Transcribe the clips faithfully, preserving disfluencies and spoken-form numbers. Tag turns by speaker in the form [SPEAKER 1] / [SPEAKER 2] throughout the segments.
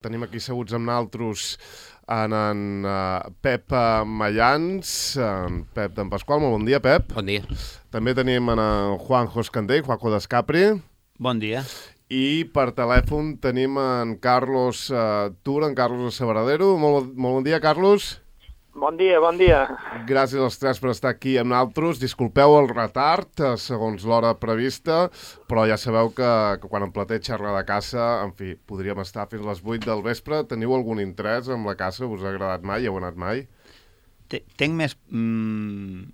[SPEAKER 1] Tenim aquí seguts amb naltros en, en uh, Pep uh, Mayans, en Pep d'en Pasqual. Molt bon dia, Pep.
[SPEAKER 2] Bon dia.
[SPEAKER 1] També tenim en Juanjo Escandell, Juanjo d'Escapri.
[SPEAKER 3] Bon dia.
[SPEAKER 1] I per telèfon tenim en Carlos uh, Tur, en Carlos de Sabradero. Molt, molt bon dia, Carlos.
[SPEAKER 4] Bon dia, bon dia.
[SPEAKER 1] Gràcies als tres per estar aquí amb naltros. Disculpeu el retard, segons l'hora prevista, però ja sabeu que, que quan en Plater xerra de caça, en fi, podríem estar fins les vuit del vespre. Teniu algun interès en la caça? Us ha agradat mai? Heu anat mai?
[SPEAKER 3] Tenc més, mm,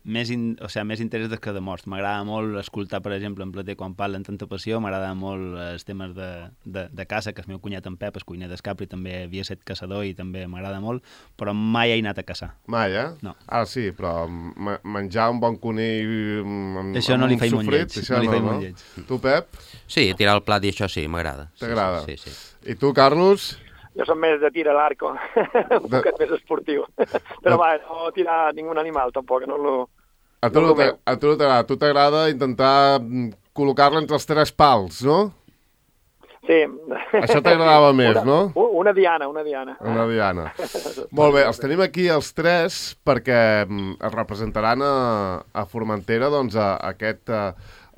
[SPEAKER 3] més, in, o sigui, més interès que de morts. M'agrada molt escoltar, per exemple, en Plater quan parla amb tanta passió. M'agrada molt els temes de, de, de caça, que el meu cunyat en Pep, el cuiner d'Escapri, també havia estat caçador i també m'agrada molt, però mai he anat a caçar.
[SPEAKER 1] Mai, eh?
[SPEAKER 3] No.
[SPEAKER 1] Ah, sí, però menjar un bon conill amb,
[SPEAKER 3] això no
[SPEAKER 1] amb
[SPEAKER 3] li
[SPEAKER 1] un
[SPEAKER 3] faig molt
[SPEAKER 1] sofrit,
[SPEAKER 3] lleig.
[SPEAKER 1] això
[SPEAKER 3] No li
[SPEAKER 1] no,
[SPEAKER 3] faig
[SPEAKER 1] no?
[SPEAKER 3] molt lleig.
[SPEAKER 1] Tu, Pep?
[SPEAKER 2] Sí, tirar el plat i això sí, m'agrada.
[SPEAKER 1] T'agrada?
[SPEAKER 2] Sí, sí, sí.
[SPEAKER 1] I tu, Carlos?
[SPEAKER 4] Jo som més de tir a l'arco, un
[SPEAKER 1] De...
[SPEAKER 4] poquet més esportiu. Però va, no tirar ningú animal, tampoc, no lo...
[SPEAKER 1] A tu no t'agrada, a tu t'agrada intentar col·locar-la entre els tres pals, no?
[SPEAKER 4] Sí.
[SPEAKER 1] Això t'agradava més,
[SPEAKER 4] una,
[SPEAKER 1] no?
[SPEAKER 4] Una diana, una diana.
[SPEAKER 1] Una diana. Molt bé, els tenim aquí els tres perquè es representaran a, a Formentera doncs, a, a aquest a,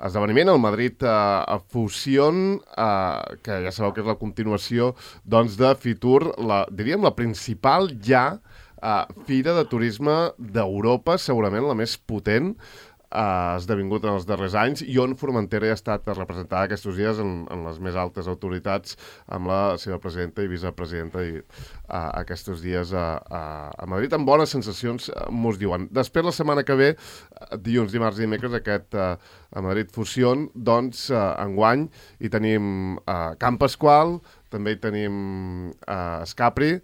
[SPEAKER 1] esdeveniment, el Madrid a, a Fusion, a, que ja sabeu que és la continuació doncs, de Fitur, la, diríem la principal ja Uh, fira de turisme d'Europa, segurament la més potent, ha uh, esdevingut en els darrers anys, i on Formentera ha estat representada aquests dies en, en les més altes autoritats, amb la seva presidenta i vicepresidenta i, uh, aquests dies a, a, a Madrid, amb bones sensacions, uh, mos diuen. Després, la setmana que ve, dilluns, dimarts i dimecres, aquest uh, a Madrid Fusion, doncs, uh, enguany, hi tenim uh, Camp Pasqual, també hi tenim uh, Escapri,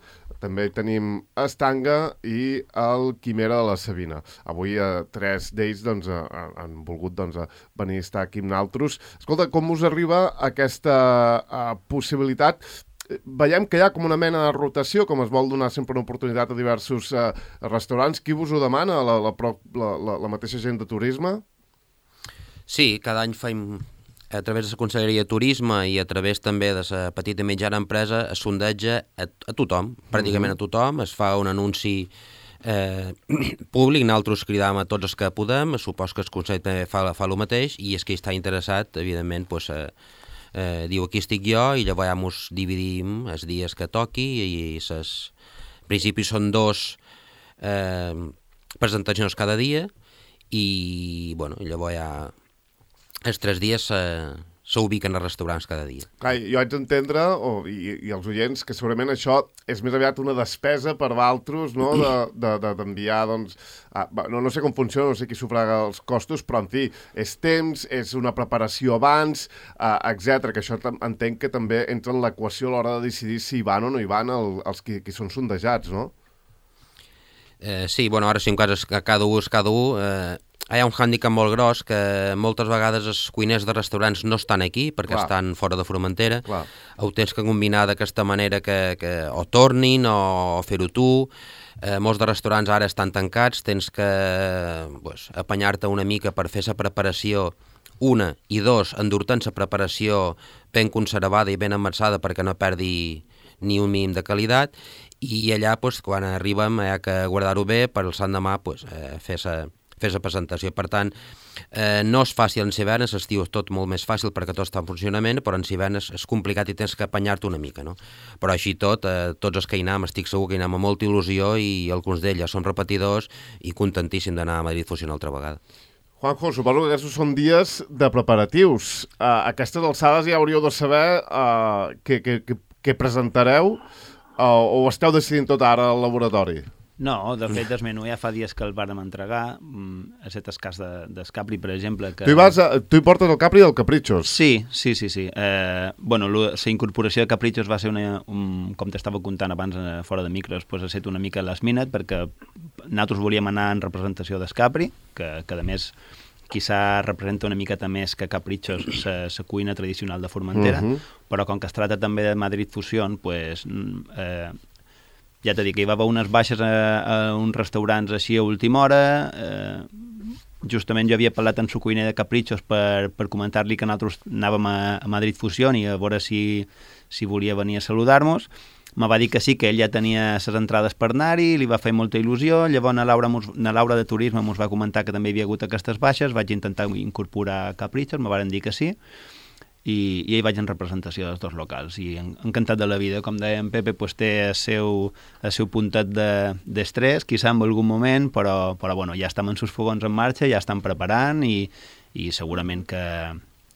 [SPEAKER 1] també tenim Estanga i el Quimera de la Sabina. Avui eh, tres d'ells doncs, eh, han volgut doncs, venir a estar aquí amb naltros. Escolta, com us arriba aquesta eh, possibilitat? Veiem que hi ha com una mena de rotació, com es vol donar sempre una oportunitat a diversos eh, restaurants. Qui vos ho demana? La, la, la, la, la mateixa gent de turisme?
[SPEAKER 2] Sí, cada any fem... a través de la Conselleria de Turisme i a través també de la petita i mitjana empresa es sondeja a, a tothom, pràcticament a tothom, es fa un anunci eh, públic, nosaltres cridam a tots els que podem, supos que el Consell també fa, fa el mateix, i és que està interessat, evidentment, pues, eh, eh, diu aquí estic jo, i llavors ja ens dividim els dies que toqui, i ses... en principi són dos eh, presentacions cada dia, i bueno, llavors ja... els tres dies eh, s'ubiquen als restaurants cada dia.
[SPEAKER 1] Clar, jo haig d'entendre, oh, i, i els oients, que segurament això és més aviat una despesa per valtros, no?, d'enviar, de, de, doncs... A, no, no sé com funciona, no sé qui sufraga els costos, però, en fi, és temps, és una preparació abans, eh, etcètera, que això entenc que també entra en l'equació a l'hora de decidir si hi van o no hi van el, els qui, qui són sondejats, no?
[SPEAKER 2] Eh, sí, bueno, ara sí, en cas que cada un és cada un... Eh, hi ha un hàndicap molt gros que moltes vegades els cuiners de restaurants no estan aquí perquè Clar. estan fora de Formentera. Clar. Ho tens que combinar d'aquesta manera que, que o tornin o, o fer-ho tu. Eh, molts de restaurants ara estan tancats, tens que pues, apanyar-te una mica per fer la preparació, una, i dos, endur-te'n la preparació ben conservada i ben amassada perquè no perdi ni un mínim de qualitat, i allà, pues, quan arribem, hi ha que guardar-ho bé per el sant demà pues, eh, fer la fer la presentació. Per tant, eh, no és fàcil en hivern, l'estiu és tot molt més fàcil perquè tot està en funcionament, però en hivern és, és complicat i tens que apanyar-te una mica, no? Però així tot, eh, tots els que hi anem, estic segur que hi anem amb molta il·lusió, i alguns d'ells ja són repetidors i contentíssim d'anar a Madrid Fusion altra vegada.
[SPEAKER 1] Juanjo, suposo que aquests són dies de preparatius. Uh, a aquestes alçades ja hauríeu de saber uh, què, què, què, què presentareu, uh, o esteu decidint tot ara al laboratori?
[SPEAKER 3] No, de fet, el menú ja fa dies que el vàrem entregar. Ha estat el cas d'Escapri, per exemple. Que...
[SPEAKER 1] Tu, hi vas a, tu hi portes el Capri del Caprichos.
[SPEAKER 3] Sí, sí, sí. sí. Eh, bueno, la incorporació de Caprichos va ser, una, un, com t'estava contant abans fora de micros, pues, ha estat una mica last minute, perquè nosaltres volíem anar en representació d'Escapri, que, que a més quizà representa una miqueta més que Caprichos la cuina tradicional de Formentera, uh -huh. però com que es tracta també de Madrid Fusion, pues... Eh, ja t'he dit que hi va haver unes baixes a, a uns restaurants així a última hora, eh, justament jo havia parlat amb su cuiner de Caprichos per, per comentar-li que nosaltres anàvem a, a Madrid Fusion i a veure si, si volia venir a saludar-nos. Me va dir que sí, que ell ja tenia les entrades per anar-hi, li va fer molta il·lusió, llavors na Laura, mos, na Laura de Turisme ens va comentar que també hi havia hagut aquestes baixes, vaig intentar incorporar Caprichos, me varen dir que sí, i, i hi vaig en representació dels dos locals, i en, encantat de la vida. Com deia en Pepe, pues, té el seu, el seu puntet d'estrès, de, quizà en algun moment, però, però bueno, ja estem en sus fogons en marxa, ja estan preparant, i, i segurament que...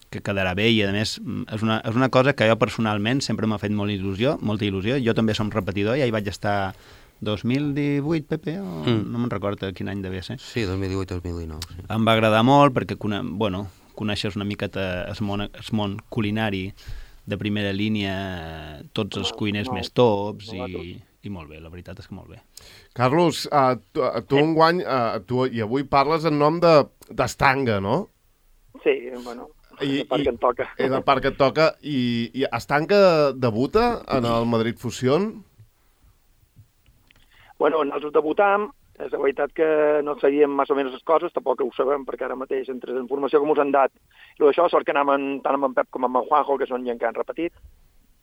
[SPEAKER 3] que quedarà bé, i a més és una, és una cosa que jo personalment sempre m'ha fet molt il·lusió, molta il·lusió. Jo també som repetidor, ja hi vaig estar dos mil divuit, Pepe, o mm. no me'n recordo quin any devia ser.
[SPEAKER 2] Sí, dos mil divuit dos mil dinou. Sí.
[SPEAKER 3] Em va agradar molt perquè bueno, coneixes una miqueta el món, el món culinari de primera línia, tots els cuiners no, més tops, no, i, i molt bé, la veritat és que molt bé.
[SPEAKER 1] Carlos, uh, tu, tu enguany, uh, tu, i avui parles en nom d'Estanga, no?
[SPEAKER 4] Sí, bueno...
[SPEAKER 1] I,
[SPEAKER 4] és el part que et toca.
[SPEAKER 1] És el part que et toca. I, i Estanga debuta en el Madrid Fusion?
[SPEAKER 4] Bueno, nosaltres debutam. És la veritat que no sabíem més o menys les coses, tampoc ho sabem, perquè ara mateix, entre la informació que ens han dat, i això, sort que anàvem tant amb en Pep com amb en Juanjo, que són gent que han repetit,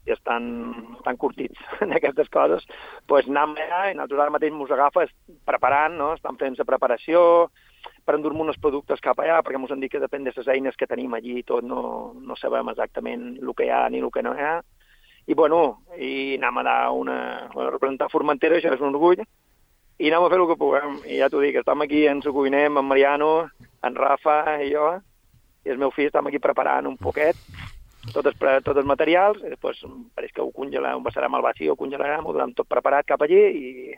[SPEAKER 4] i estan, estan curtits en aquestes coses, doncs pues anem allà, i nosaltres ara mateix ens agafa preparant, no? Estan fent la preparació, per endur-me uns productes cap allà, perquè ens han dit que depèn de les eines que tenim allí i tot, no, no sabem exactament el que hi ha ni el que no hi ha. I, bueno, i anem a dar una... Bueno, representar Formentera, això és un orgull, i anem a fer el que puguem. I ja t'ho dic, estem aquí en su cuiner, amb en Mariano, en Rafa i jo, i el meu fill estem aquí preparant un poquet, tots els, tots els materials, i després pareix que ho congelarem, ho passarem al vacío, ho congelarem, ho donem tot preparat cap allí, i...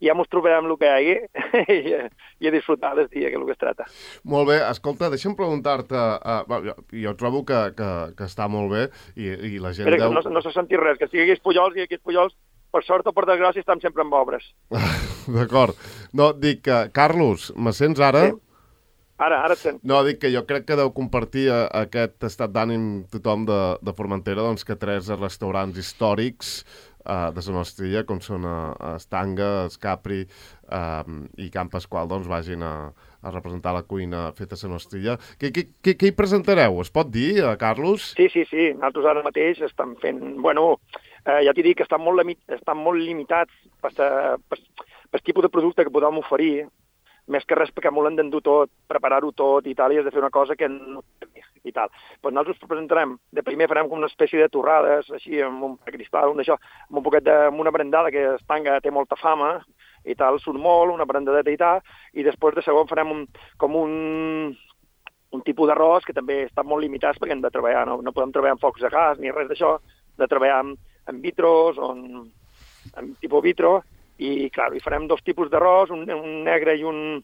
[SPEAKER 4] i ja ens trobarem el que hi hagi i, i a disfrutar del dia, que és el que es tracta.
[SPEAKER 1] Molt bé. Escolta, deixa'm preguntar-te... Uh, jo, jo trobo que, que, que està molt bé i, i la gent...
[SPEAKER 4] Però
[SPEAKER 1] deu...
[SPEAKER 4] no, no se senti res, que si hi hagués Pujols i aquí Pujols, per sort o per desgràcia, estan sempre en obres.
[SPEAKER 1] D'acord. No, dic que... Carlos, me sents ara?
[SPEAKER 4] Sí. Ara, ara et sent.
[SPEAKER 1] No, dic que jo crec que deu compartir aquest estat d'ànim tothom de, de Formentera, doncs que tres restaurants històrics Uh, de la nostra illa, com són uh, Estanga, Escapri uh, i Camp Pasqual, doncs vagin a, a representar la cuina feta a la nostra illa. Què, què, què, què hi presentareu? Es pot dir, uh, Carlos?
[SPEAKER 4] Sí, sí, sí. Nosaltres ara mateix estem fent... Bueno, eh, ja t'he dit que estan molt, estan molt limitats per, per, per tipus de producte que podem oferir, més que res perquè m'ho l'han d'endur tot, preparar-ho tot i tal, i has de fer una cosa que no... i tal. Pues nosaltres presentarem, de primer farem com una espècie de torrades, així, amb un cristal, un d'això, amb un poquet de, amb una brandada, que Estanga té molta fama, i tal, surt molt, una brandadeta i tal, i després de segon farem un, com un, un tipus d'arròs que també està molt limitats perquè hem de treballar, no, no podem treballar amb focs de gas ni res d'això, de treballar amb, amb vitros, o en, amb tipus vitro, i, clar, hi farem dos tipus d'arròs, un, un negre i un...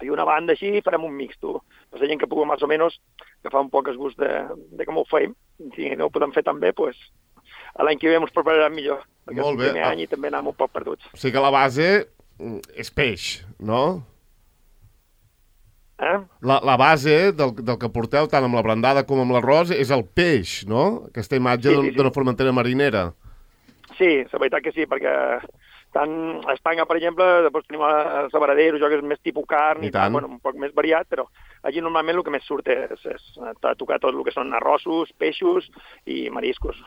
[SPEAKER 4] i una banda així, farem un mixto. Per la gent que pugui més o menys agafar un poc el gust de, de com ho feim. Si no ho podem fer tan bé, doncs l'any que ve ens prepararem millor. Perquè
[SPEAKER 1] Molt
[SPEAKER 4] és el
[SPEAKER 1] bé.
[SPEAKER 4] primer any i també anem un poc perduts.
[SPEAKER 1] O sigui que la base és peix, no?
[SPEAKER 4] Eh?
[SPEAKER 1] La, la base del, del que porteu, tant amb la brandada com amb l'arròs, és el peix, no? Aquesta imatge sí, sí, sí. d'una formentera marinera.
[SPEAKER 4] Sí, la veritat que sí, perquè tant a Estanga, per exemple, després tenim el Sabaradero, jo que és més tipus carn, i, i tant, bueno, un poc més variat, però allí normalment el que més surt és, és tocar tot el que són arrossos, peixos i mariscos.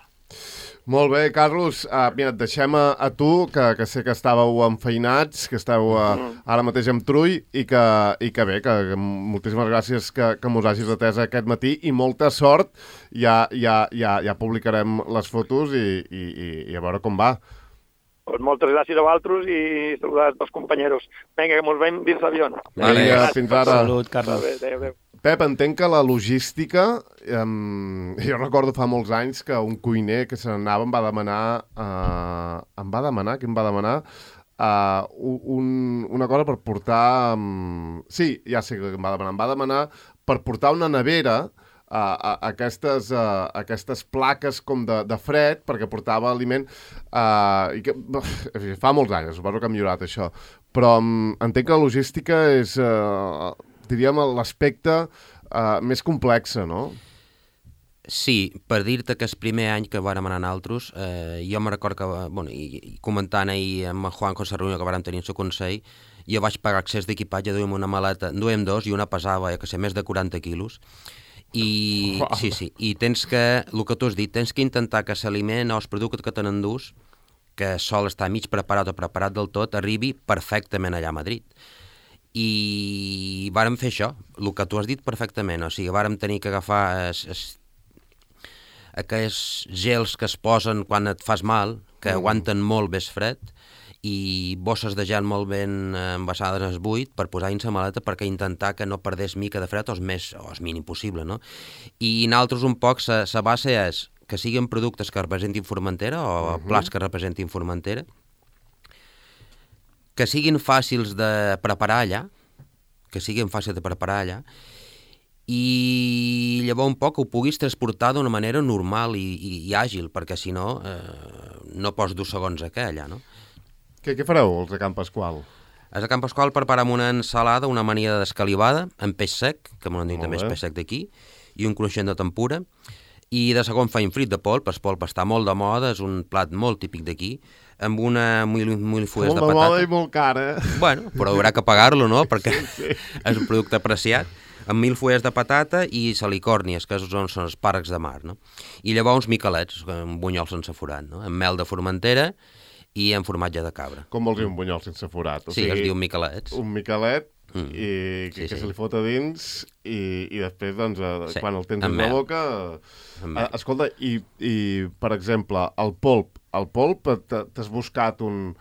[SPEAKER 1] Molt bé, Carlos. Uh, mira, et deixem a, a tu, que, que sé que estàveu enfeinats, que esteu uh, mm. ara mateix amb trull, i que, i que bé, que, que moltíssimes gràcies que, que mos hagis atès aquest matí, i molta sort. Ja, ja, ja, ja publicarem les fotos i, i, i, i a veure com va.
[SPEAKER 4] Pues moltes gràcies a vosaltres i saludar els companyeros. Vinga, que mos veiem dins l'avió.
[SPEAKER 1] Vale, fins ara.
[SPEAKER 3] Salut, Carlos.
[SPEAKER 4] Adéu, adéu.
[SPEAKER 1] Pep, entenc que la logística... Um, jo recordo fa molts anys que un cuiner que se n'anava em va demanar... Uh, em va demanar? Què em va demanar? Uh, un, una cosa per portar... Um, sí, ja sé què em va demanar. Em va demanar per portar una nevera... Uh, uh, aquestes, uh, aquestes plaques com de, de fred, perquè portava aliment, uh, i que, uh, fa molts anys, suposo que ha millorat això, però um, entenc que la logística és, uh, diríem, l'aspecte uh, més complex, no?
[SPEAKER 2] Sí, per dir-te que el primer any que vàrem anar nosaltres, eh, jo me record que, bueno, i, i comentant ahir amb en Juanjo la reunió que vàrem tenir el seu consell, jo vaig pagar accés d'equipatge, duem una maleta, en duem dos i una pesava, ja que sé, més de quaranta quilos, i wow. sí, sí, i tens que, el que tu has dit, tens que intentar que l'aliment o el producte que te n'endús, que sol estar mig preparat o preparat del tot, arribi perfectament allà a Madrid. I vàrem fer això, el que tu has dit perfectament, o sigui, vàrem tenir que agafar es, es, aquells gels que es posen quan et fas mal, que mm. aguanten molt més fred, i bosses de gel molt ben envasades al buit per posar dins la maleta perquè intentar que no perdés mica de fred o és més, o és mínim possible, no? I nosaltres un poc, la base és que siguin productes que representin Formentera o uh -huh. plats que representin Formentera, que siguin fàcils de preparar allà, que siguin fàcils de preparar allà, i llavors un poc ho puguis transportar d'una manera normal i, i, i àgil, perquè si no, eh, no pots dos segons a què allà, no?
[SPEAKER 1] Què, què fareu, els de Can Pasqual?
[SPEAKER 2] Els de Can Pasqual preparem una ensalada, una amanida d'escalivada, amb peix sec, que m'ho han dit també és peix sec d'aquí, i un cruixent de tempura, i de segon feim frit de polp, el polp està molt de moda, és un plat molt típic d'aquí, amb una mullifues de patata.
[SPEAKER 1] Molt de moda i molt cara.
[SPEAKER 2] Bueno, però haurà que pagar-lo, no?, perquè sí, sí. és un producte apreciat, amb mil fulles de patata i salicòrnies, que són, són els parcs de mar, no? I llavors uns miquelets, un bunyol sense forat, no?, amb mel de Formentera i amb formatge de cabra.
[SPEAKER 1] Com vols dir un bunyol sense forat? O
[SPEAKER 2] sí,
[SPEAKER 1] sigui,
[SPEAKER 2] es diu miquelets.
[SPEAKER 1] Un miquelet mm. i que, sí, que sí. se li fot a dins i, i després, doncs, sí. quan el tens en la boca... Eh, escolta, i, i, per exemple, el polp. El polp, t'has buscat un...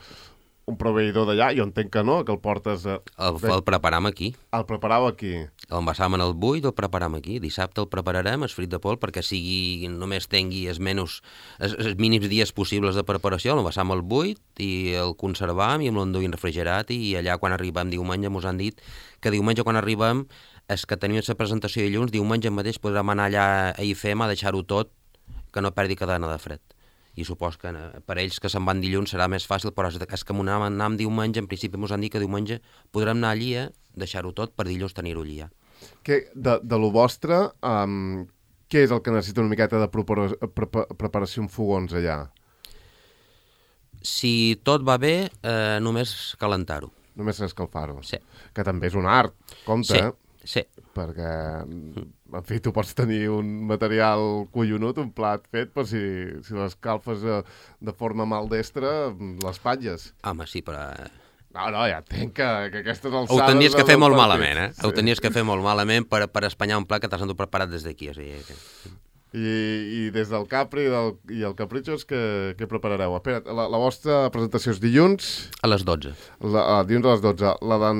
[SPEAKER 1] un proveïdor d'allà, jo entenc que no, que el portes... A...
[SPEAKER 2] El, el preparam aquí.
[SPEAKER 1] El preparau aquí.
[SPEAKER 2] L'envasam en el buit, el preparam aquí. Dissabte el prepararem, el frit de polp, perquè sigui, només tingui els, menys, els, els mínims dies possibles de preparació, l'envasam al buit i el conservam i amb l'enduïm refrigerat i allà quan arribem diumenge mos han dit que diumenge quan arribem és que tenim la presentació dilluns, diumenge mateix podrem anar allà a I F E M a deixar-ho tot que no perdi cadena de fred. I supos que per ells que se'n van dilluns serà més fàcil, però és que anàvem diumenge, en principi ens han dit que diumenge podrem anar allí a deixar-ho tot per dilluns tenir-ho allí ja.
[SPEAKER 1] Que de, de lo vostre, um, què és el que necessita una miqueta de prepara, pre, preparació en fogons allà?
[SPEAKER 2] Si tot va bé, eh, només calentar-ho.
[SPEAKER 1] Només escalfar-ho?
[SPEAKER 2] Sí. Que
[SPEAKER 1] també és un art, compte,
[SPEAKER 2] sí.
[SPEAKER 1] eh?
[SPEAKER 2] Sí.
[SPEAKER 1] Perquè, en fi, tu pots tenir un material collonut, un plat fet, però si, si l'escalfes de, de forma maldestra, l'espatlles.
[SPEAKER 2] Home, sí, però...
[SPEAKER 1] No, no, ja entenc que, que aquestes alçades...
[SPEAKER 2] Ho tenies que fer molt malament, eh? Sí. Ho tenies que fer molt malament per, per espanyar un plat que t'has endut preparat des d'aquí. O sigui que...
[SPEAKER 1] I, I des del Capri i, del, i el Caprichos, què, què preparareu? Espera, la, la vostra presentació és dilluns?
[SPEAKER 2] A les dotze.
[SPEAKER 1] La, a, dilluns a les dotze. La, de,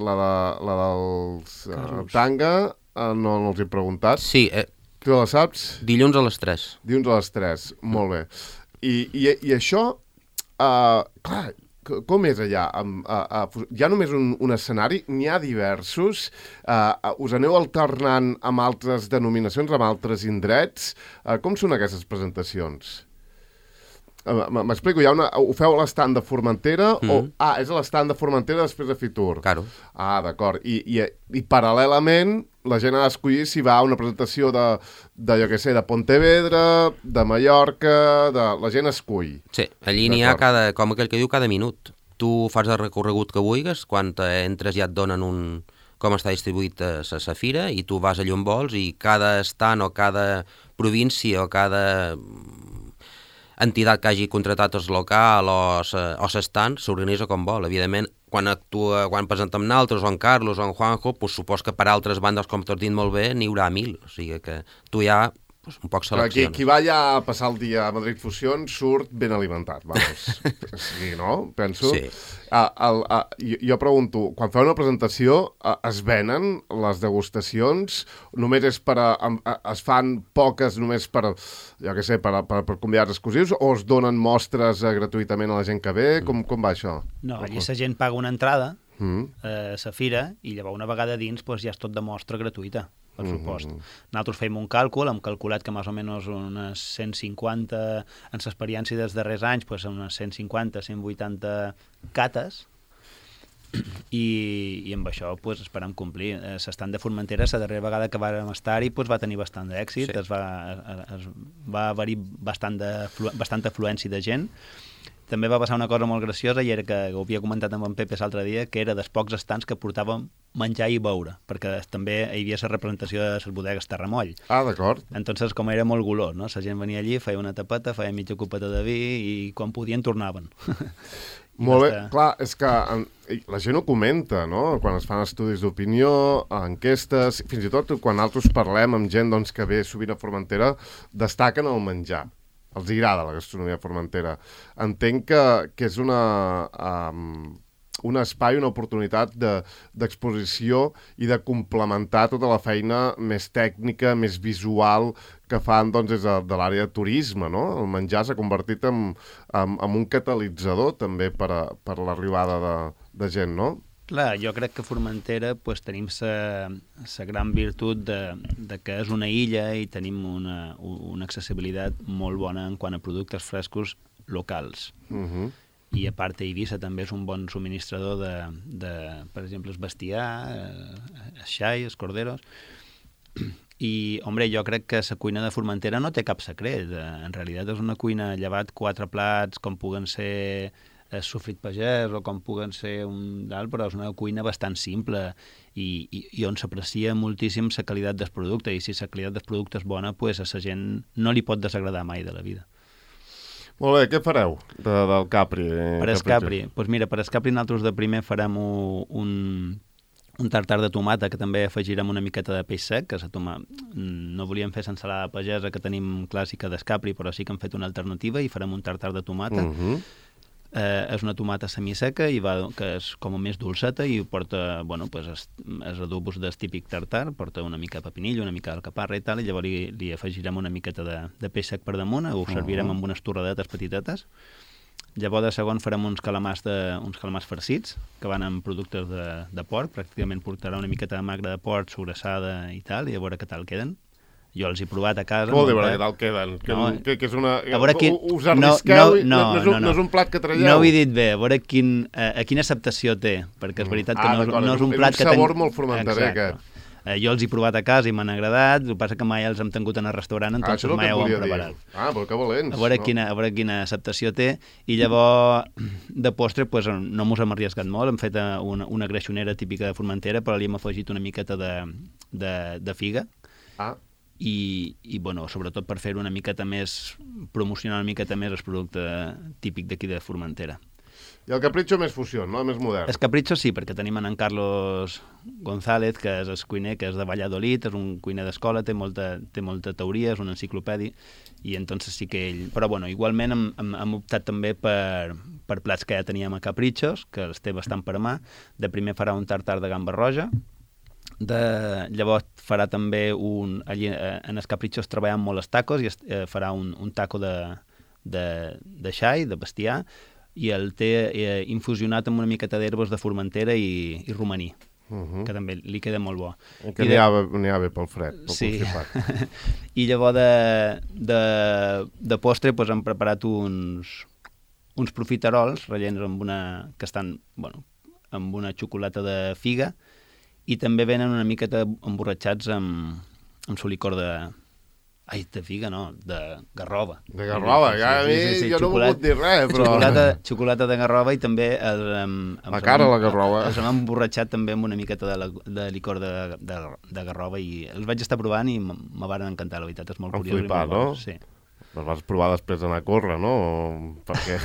[SPEAKER 1] la, de, la dels uh, Tanga, uh, no, no els he preguntat.
[SPEAKER 2] Sí. Eh,
[SPEAKER 1] tu la saps?
[SPEAKER 2] Dilluns a les tres.
[SPEAKER 1] Dilluns a les tres, mm. molt bé. I, i, i això, uh, clar, com és allà? Um, uh, uh, hi ha només un, un escenari? N'hi ha diversos? Uh, uh, us aneu alternant amb altres denominacions, amb altres indrets? Uh, com són aquestes presentacions? Uh, M'explico, hi ha una, ho feu a l'estand de Formentera? Mm. O, ah, és a l'estand de Formentera després de Fitur?
[SPEAKER 2] Claro.
[SPEAKER 1] Ah, d'acord. I, i, I paral·lelament la gent ha d'escollir si va a una presentació de, de, jo què sé, de Pontevedra, de Mallorca, de... la gent escull.
[SPEAKER 2] Sí, allí n'hi ha cada, com aquell que diu, cada minut. Tu fas el recorregut que vulguis, quan entres ja et donen un... com està distribuït a la fira, i tu vas allà on vols, i cada estant o cada província o cada entitat que hagi contratat el local o l'estant s'organitza com vol. Evidentment, quan actua, quan presentem naltros, o en Carlos, o en Juanjo, pues, supos que per altres bandes, com t'has dit molt bé, n'hi haurà mil. O sigui que tu ja pues, un poc selecciones.
[SPEAKER 1] Qui, qui va ja a passar el dia a Madrid Fusión surt ben alimentat, vamos. Sí, no? Penso.
[SPEAKER 2] Sí.
[SPEAKER 1] Uh, el, uh, jo, jo pregunto, quan feu una presentació, uh, es venen les degustacions? Només és per a, a, es fan poques només per, jo què sé, per, per, per convidats exclusius, o es donen mostres uh, gratuïtament a la gent que ve? Com, com va això?
[SPEAKER 3] No, allí la gent paga una entrada mm. a la fira i llavors una vegada dins pues, ja és tot de mostra gratuïta, per supost. Mm-hmm. Nosaltres fèiem un càlcul, hem calculat que més o menys unes cent cinquanta, en l'experiència dels darrers anys, pues, unes cent cinquanta, cent vuitanta cates, i, i amb això pues, esperem complir. Eh, S'estan de Formentera, la darrera vegada que vàrem estar-hi pues, va tenir bastant d'èxit, sí. es va, es, va haver-hi bastant de, bastanta afluència de gent. També va passar una cosa molt graciosa, i era que ho havia comentat amb en Pepe l'altre dia, que era dels pocs estants que portàvem menjar i beure, perquè també hi havia la representació de les bodegues Terramoll.
[SPEAKER 1] Ah, d'acord.
[SPEAKER 3] Entonces, com era molt golós, no? La gent venia allí, feia una tapeta, feia mitja copeta de vi, i quan podien tornaven.
[SPEAKER 1] Molt bé, estar... clar, és que en, la gent ho comenta, no?, quan es fan estudis d'opinió, enquestes, fins i tot quan nosaltres parlem amb gent doncs, que ve sovint a Formentera, destaquen el menjar. Els agrada la gastronomia formentera. Entenc que, que és una, um, un espai, una oportunitat d'exposició de, i de complementar tota la feina més tècnica, més visual que fan doncs, des de, de l'àrea de turisme, no? El menjar s'ha convertit en, en, en un catalitzador també per, a, per l'arribada de, de gent, no?
[SPEAKER 3] Clar, jo crec que a Formentera pues, tenim la gran virtut de, de que és una illa i tenim una, una accessibilitat molt bona en quant a productes frescos locals.
[SPEAKER 1] Uh-huh.
[SPEAKER 3] I a part Eivissa també és un bon subministrador de, de per exemple, el bestiar, el xai, els corderos. I, hombre, jo crec que la cuina de Formentera no té cap secret. En realitat és una cuina llevat quatre plats, com puguen ser el sofrit pagès o com puguen ser un d'alt, però és una cuina bastant simple i, i, i on s'aprecia moltíssim la qualitat del producte, i si la qualitat del producte és bona, pues, a la gent no li pot desagradar mai de la vida.
[SPEAKER 1] Molt bé, què fareu de, del Capri?
[SPEAKER 3] Per el Capri? Doncs pues mira, per el Capri nosaltres de primer farem un, un tartar de tomata, que també afegirem una miqueta de peix sec, que la toma... no volíem fer l'ensalada pagesa que tenim clàssica del Capri, però sí que hem fet una alternativa i farem un tartar de tomata.
[SPEAKER 1] Uh-huh.
[SPEAKER 3] Eh, és una tomata semiseca i va, que és com més dolceta i porta, bueno, pues es, es adobos del típic tartar, porta una mica de pepinillo, una mica d'alcaparra i tal, i llavors li, li afegirem una miqueta de, de peix sec per damunt, ho servirem amb unes torradetes petitetes. Llavors de segon farem uns calamars, de, uns calamars farcits, que van amb productes de, de porc, pràcticament portarà una miqueta de magre de porc, sobrassada i tal, i a veure què tal queden. Jo els he provat a casa.
[SPEAKER 1] Vol dir, què tal queden? Que,
[SPEAKER 3] no,
[SPEAKER 1] que, que és una...
[SPEAKER 3] A veure quin...
[SPEAKER 1] Us arrisqueu?
[SPEAKER 3] No, no,
[SPEAKER 1] no, no, no, no és un plat que traieu?
[SPEAKER 3] No ho he dit bé, a veure quin, a, a quina acceptació té, perquè és veritat que ah, no, no és un plat que...
[SPEAKER 1] És un sabor ten... molt formenterer, aquest.
[SPEAKER 3] Eh, jo els he provat a casa i m'han agradat, el que passa que mai els hem tingut en el restaurant, entonces
[SPEAKER 1] ah,
[SPEAKER 3] mai ho hem preparat.
[SPEAKER 1] Dir. Ah, però que valents.
[SPEAKER 3] A veure,
[SPEAKER 1] no?
[SPEAKER 3] quina, a veure quina acceptació té, i llavors de postre pues, no mos hem arriesgat molt, hem fet una, una greixonera típica de Formentera, però li hem afegit una miqueta de, de, de figa.
[SPEAKER 1] Ah.
[SPEAKER 3] I, i bueno, sobretot per fer una miqueta més, promocionar una miqueta més el producte típic d'aquí de Formentera.
[SPEAKER 1] I el Capricho més fusió, no? Més modern.
[SPEAKER 3] El Capricho sí, perquè tenim en Carlos González, que és el cuiner, que és de Valladolid, és un cuiner d'escola, té molta, té molta teoria, és un enciclopedi, i entonces sí que ell... Però bueno, igualment hem, hem, hem optat també per, per plats que ja teníem a Caprichos, que els té bastant per mà. De primer farà un tartar de gamba roja, de, llavors farà també un... Allí, eh, en els Caprichos treballem molt els tacos, i es, eh, farà un, un taco de, de, de xai, de bestiar, i el té eh, infusionat amb una miqueta d'herbes de Formentera i, i romaní, uh-huh. que també li queda molt bo.
[SPEAKER 1] I que n'hi ha, ha bé pel fred, pel
[SPEAKER 3] sí. I llavors de, de, de postre pues, hem preparat uns, uns profiterols rellens amb una, que estan bueno, amb una xocolata de figa, i també venen una miqueta emborratxats amb, amb solicor de... Ai, de figa no, de garrova.
[SPEAKER 1] De garrova, ja a mi sí, sí, sí, jo xocolata, no vull dir res, però...
[SPEAKER 3] Xocolata, xocolata de garrova i també... El, amb,
[SPEAKER 1] la cara la garrova.
[SPEAKER 3] Els hem emborratxat també amb una miqueta de, la, de licor de, de, de garrova i els vaig estar provant i me van encantar, la veritat, és molt curiós.
[SPEAKER 1] Flipar, no?
[SPEAKER 3] Sí.
[SPEAKER 1] Les vas provar després d'anar a córrer, no? Perquè...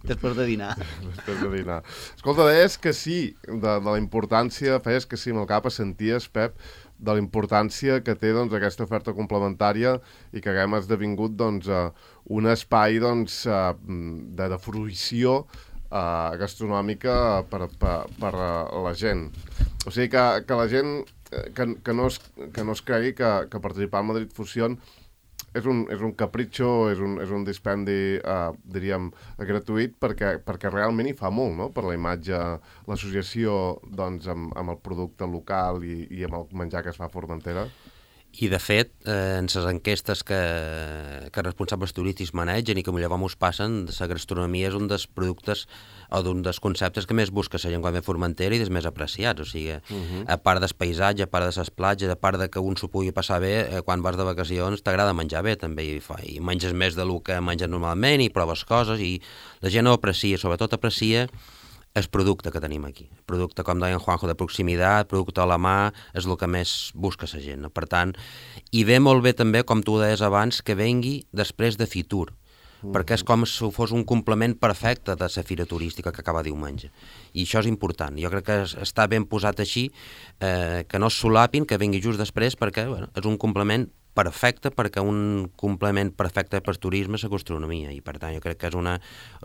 [SPEAKER 3] després de dinar.
[SPEAKER 1] després de dinar. Escolta, deies que sí, de, de la importància, feies que sí amb el cap, senties, Pep, de la importància que té doncs, aquesta oferta complementària i que haguem esdevingut doncs, uh, un espai doncs, uh, de, de fruïció uh, gastronòmica per, per, per uh, la gent. O sigui que, que la gent que, que, no es, que no es cregui que, que participar al Madrid Fusion és un, és un capritxo, és un, és un dispendi, uh, diríem, gratuït, perquè, perquè realment hi fa molt, no?, per la imatge, l'associació doncs, amb, amb el producte local i, i amb el menjar que es fa a Formentera.
[SPEAKER 2] I, de fet, eh, en les enquestes que, que responsables turístics manegen i que llavors us passen, la gastronomia és un dels productes o d'un dels conceptes que més busca la gent quan ve a Formentera i dels més apreciats. O sigui, uh -huh. a part del paisatge, a part de les platges, a part de que un s'ho pugui passar bé, eh, quan vas de vacacions t'agrada menjar bé també i, fa, i menges més del que menges normalment i proves coses i la gent ho aprecia, sobretot aprecia el producte que tenim aquí. El producte, com deia en Juanjo, de proximitat, producte a la mà, és el que més busca la gent. No? Per tant, i ve molt bé també, com tu deies abans, que vengui després de Fitur, mm. perquè és com si fos un complement perfecte de la fira turística que acaba diumenge. I això és important. Jo crec que està ben posat així, eh, que no es solapin, que vengui just després, perquè bueno, és un complement perfecte, perquè un complement perfecte per turisme és la gastronomia, i per tant jo crec que és una,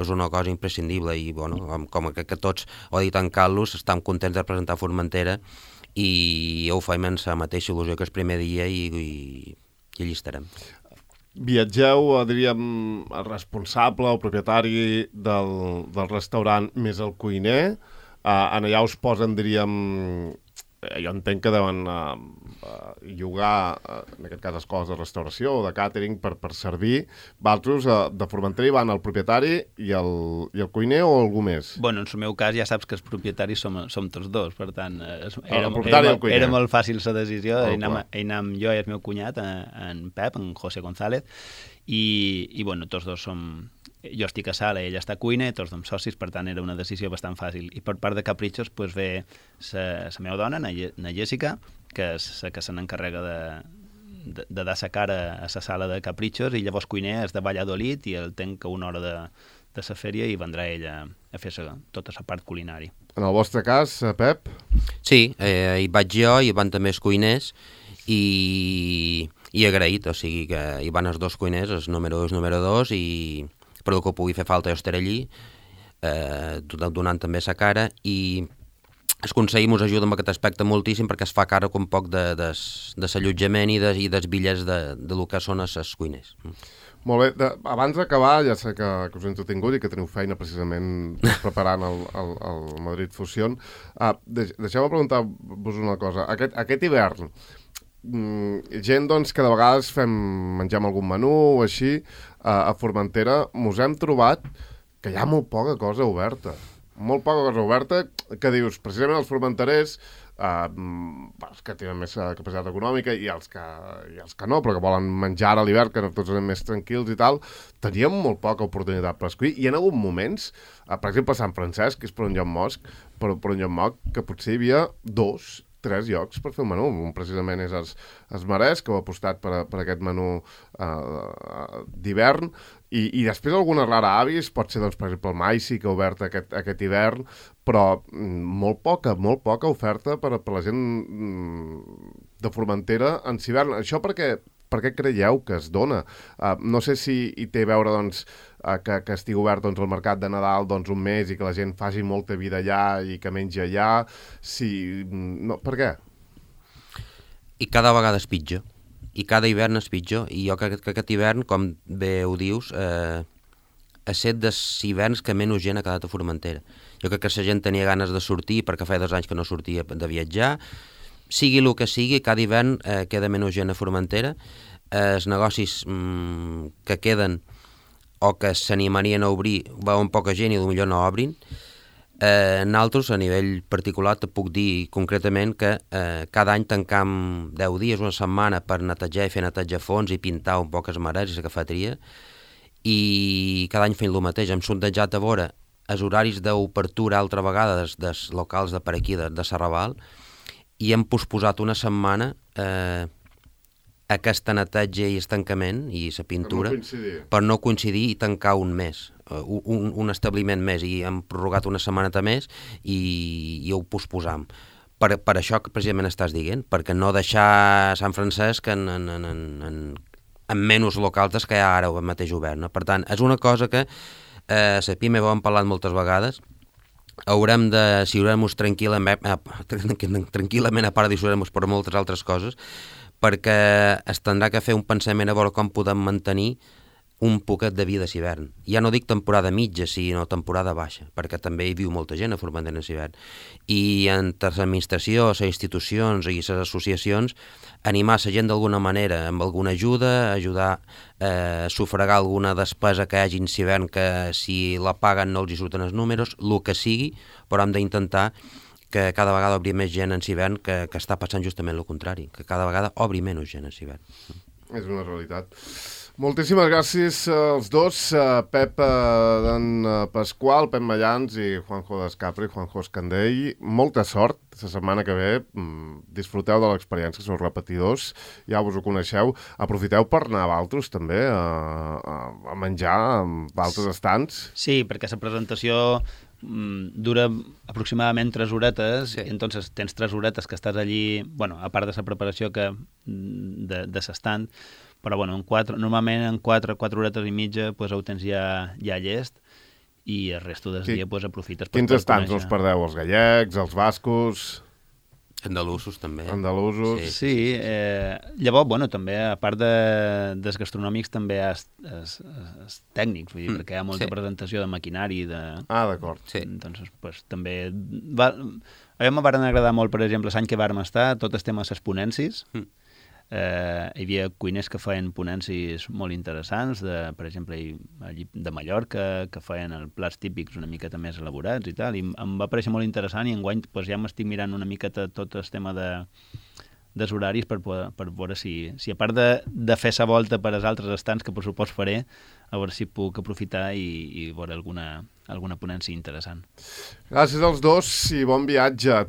[SPEAKER 2] és una cosa imprescindible, i bueno, com, com que, que tots, ho ha dit en Carlos, estem contents de presentar Formentera, i ho faim amb la mateixa il·lusió que el primer dia, i, i, i allí estarem.
[SPEAKER 1] Viatgeu, diríem, el responsable, el propietari del, del restaurant més el cuiner, uh, en allà us posen, diríem, jo entenc que deuen uh, uh, llogar, uh, en aquest cas, escoles de restauració o de càtering per, per servir. Vosaltres, uh, de Formentera, hi van el propietari i el, i el cuiner o algú més?
[SPEAKER 3] Bueno, en el meu cas ja saps que els propietaris som, som tots dos, per tant, es, era,
[SPEAKER 1] el propietari
[SPEAKER 3] era,
[SPEAKER 1] i el cuiner.
[SPEAKER 3] Era molt fàcil la decisió,
[SPEAKER 1] Oh,
[SPEAKER 3] hi anàvem, hi anàvem jo i el meu cunyat, en Pep, en José González, i, i bueno, tots dos som... Jo estic a sala, ell està a cuina, tots som socis, per tant era una decisió bastant fàcil. I per part de Caprichos pues, ve la meva dona, na, na Jessica, que és la que se n'encarrega de, de, de dar la cara a la sala de Caprichos, i llavors cuiner és de Valladolid i el tenc a una hora de, de la fèria i vendrà ella a fer sa, tota la part culinària.
[SPEAKER 1] En el vostre cas, Pep?
[SPEAKER 2] Sí, eh, hi vaig jo, hi van també els cuiners, i, i agraït, o sigui que hi van els dos cuiners, els número dos i el número dos, i per el que pugui fer falta jo estaré allí, eh, donant també sa cara, i els consellers ens ajuden en aquest aspecte moltíssim perquè es fa càrrec un poc de, de, de l'allotjament i, de, i dels bitllets de, de lo que són els cuiners.
[SPEAKER 1] Molt bé, de, abans d'acabar, ja sé que, que us he entretingut i que teniu feina precisament preparant el, el, el Madrid Fusion. Uh, deix, deixeu-me preguntar-vos una cosa. Aquest, aquest hivern, mm, gent doncs, que de vegades fem, mengem algun menú o així, uh, a Formentera, mos hem trobat que hi ha molt poca cosa oberta. Molt poca cosa oberta, que dius, precisament els formenterers, uh, els que tenen més capacitat econòmica i els que, i els que no, però que volen menjar a l'hivern, que tots anem més tranquils i tal, teníem molt poca oportunitat per escollir. I en alguns moments, uh, per exemple, a Sant Francesc, que és per un lloc mosc, per, per un lloc moc, que potser hi havia dos, tres llocs per fer un menú. Un precisament és els, els Marès, que ho ha apostat per, per aquest menú uh, d'hivern, i, i després alguna rara avis, pot ser, doncs, per exemple, el Maici, que ha obert aquest, aquest hivern, però mm, molt poca, molt poca oferta per, per la gent mm, de Formentera en hivern. Això perquè, per què creieu que es dona? Uh, no sé si hi té a veure, doncs, uh, que, que estigui obert, doncs, el mercat de Nadal, doncs, un mes i que la gent faci molta vida allà i que mengi allà. Si... No, per què?
[SPEAKER 2] I cada vegada és pitjor. I cada hivern és pitjor, i jo crec que aquest hivern, com bé ho dius, eh, ha set dels hiverns que menys gent ha quedat a Formentera. Jo crec que la gent tenia ganes de sortir, perquè feia dos anys que no sortia de viatjar, sigui el que sigui, cada hivern eh, queda menys gent a Formentera, eh, els negocis mm, que queden o que s'animarien a obrir, veuen poca gent i potser no obrin. Eh, nosaltres, a nivell particular, te puc dir concretament que eh, cada any tancam deu dies, una setmana, per netejar i fer netejar a fons i pintar un poc els marets i la cafeteria, i cada any fent el mateix. Hem sondejat a veure els horaris d'obertura altra vegada dels, dels locals de per aquí, de, de Serraval, i hem posposat una setmana eh, aquesta neteja i estancament i la pintura
[SPEAKER 1] per no,
[SPEAKER 2] per no coincidir i tancar un mes. Un, un establiment més, i hem prorrogat una setmaneta més i, i ho posposam. Per, per això que precisament estàs dient, perquè no deixar Sant Francesc en, en, en, en, en menys locals des que hi ha ara mateix obert. No? Per tant, és una cosa que eh, la PIME ho hem parlat moltes vegades, haurem de decidir-nos tranquil·lament, eh, tranquil·lament a part de decidir-nos per moltes altres coses, perquè es tindrà que fer un pensament a veure com podem mantenir un poquet de vida a l'hivern. Ja no dic temporada mitja, sinó temporada baixa, perquè també hi viu molta gent a Formentera en l'hivern. I entre l'administració, les institucions i les associacions, animar la gent d'alguna manera, amb alguna ajuda, ajudar a eh, sufragar alguna despesa que hi hagi en l'hivern que si la paguen no els hi surten els números, el que sigui, però hem d'intentar que cada vegada obri més gent en l'hivern, que, que està passant justament el contrari, que cada vegada obri menys gent en l'hivern.
[SPEAKER 1] És una realitat. Moltíssimes gràcies als dos, Pep d'en Pasqual, Pep Mallans i Juanjo d'Escapri, Juanjo Escandell. Molta sort la setmana que ve. Disfruteu de l'experiència, sou repetidors, ja vos ho coneixeu. Aprofiteu per anar a Valtros també, a, a, a menjar a altres estants.
[SPEAKER 3] Sí, perquè la presentació dura aproximadament tres horetes, sí. I entonces tens tres horetes que estàs allí, bueno, a part de la preparació que de, de l'estant, però bueno, en quatre, normalment en quatre, quatre horetes i mitja pues, ho tens ja, ja llest i el resto del sí. dia pues, aprofites per,
[SPEAKER 1] Quins per estants conèixer. No us perdeu? Els gallecs, els bascos...
[SPEAKER 2] Andalusos, també.
[SPEAKER 1] Andalusos.
[SPEAKER 3] Sí, sí eh, llavors, bueno, també, a part de, dels gastronòmics, també hi ha els tècnics, vull dir, mm, perquè hi ha molta sí. presentació de maquinari. De...
[SPEAKER 1] Ah, d'acord.
[SPEAKER 3] Sí. Entonces, pues, també... Va... A mi em van agradar molt, per exemple, l'any que vàrem estar, tot el tema de les ponències. Mm. Eh, hi havia cuiners que feien ponències molt interessants, de, per exemple, de Mallorca, que feien els plats típics una miqueta més elaborats i tal, i em va parèixer molt interessant i enguany pues, ja m'estic mirant una miqueta tot el tema de, dels horaris per, per veure si, si a part de, de fer sa volta per als altres estants, que per supost faré, a veure si puc aprofitar i, i veure alguna, alguna ponència interessant.
[SPEAKER 1] Gràcies als dos i bon viatge.